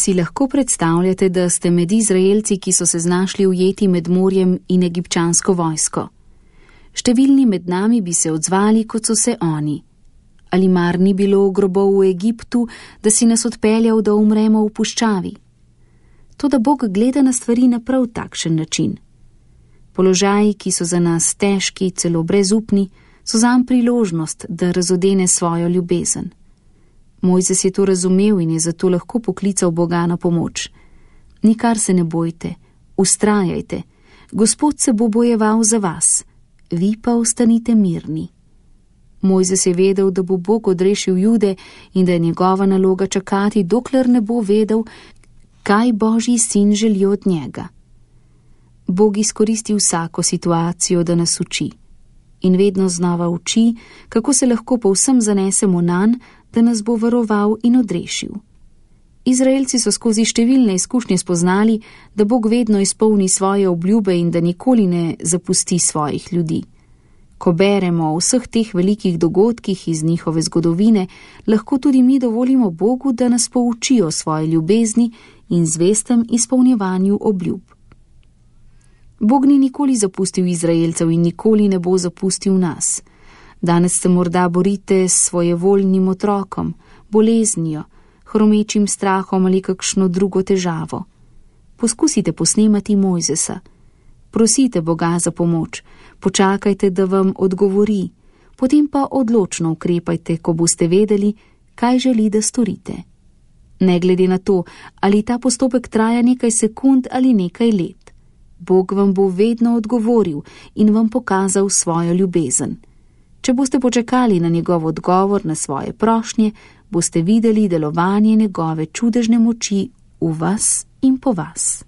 Si lahko predstavljate, da ste med Izraelci, ki so se znašli ujeti med morjem in egipčansko vojsko? Številni med nami bi se odzvali, kot so se oni. Ali mar ni bilo grobov v Egiptu, da si nas odpeljal, da umremo v puščavi? Toda Bog gleda na stvari na prav takšen način. Položaji, ki so za nas težki, celo brezupni, so zanj priložnost, da razodene svojo ljubezen. Mojzes je to razumel in je zato lahko poklical Boga na pomoč. Nikar se ne bojte, ustrajajte, Gospod se bo bojeval za vas, vi pa ostanite mirni. Mojzes je vedel, da bo Bog odrešil Jude in da je njegova naloga čakati, dokler ne bo vedel, kaj Božji sin želi od njega. Bog izkoristi vsako situacijo, da nas uči. In vedno znova uči, kako se lahko povsem zanesemo nanj, da nas bo varoval in odrešil. Izraelci so skozi številne izkušnje spoznali, da Bog vedno izpolni svoje obljube in da nikoli ne zapusti svojih ljudi. Ko beremo o vseh teh velikih dogodkih iz njihove zgodovine, lahko tudi mi dovolimo Bogu, da nas pouči o svoji ljubezni in zvestem izpolnjevanju obljub. Bog ni nikoli zapustil Izraelcev in nikoli ne bo zapustil nas. Danes se morda borite s svojevoljnim otrokom, boleznijo, hromečim strahom ali kakšno drugo težavo. Poskusite posnemati Mojzesa. Prosite Boga za pomoč, počakajte, da vam odgovori, potem pa odločno ukrepajte, ko boste vedeli, kaj želi, da storite. Ne glede na to, ali ta postopek traja nekaj sekund ali nekaj let. Bog vam bo vedno odgovoril in vam pokazal svojo ljubezen. Če boste počakali na njegov odgovor na svoje prošnje, boste videli delovanje njegove čudežne moči v vas in po vas.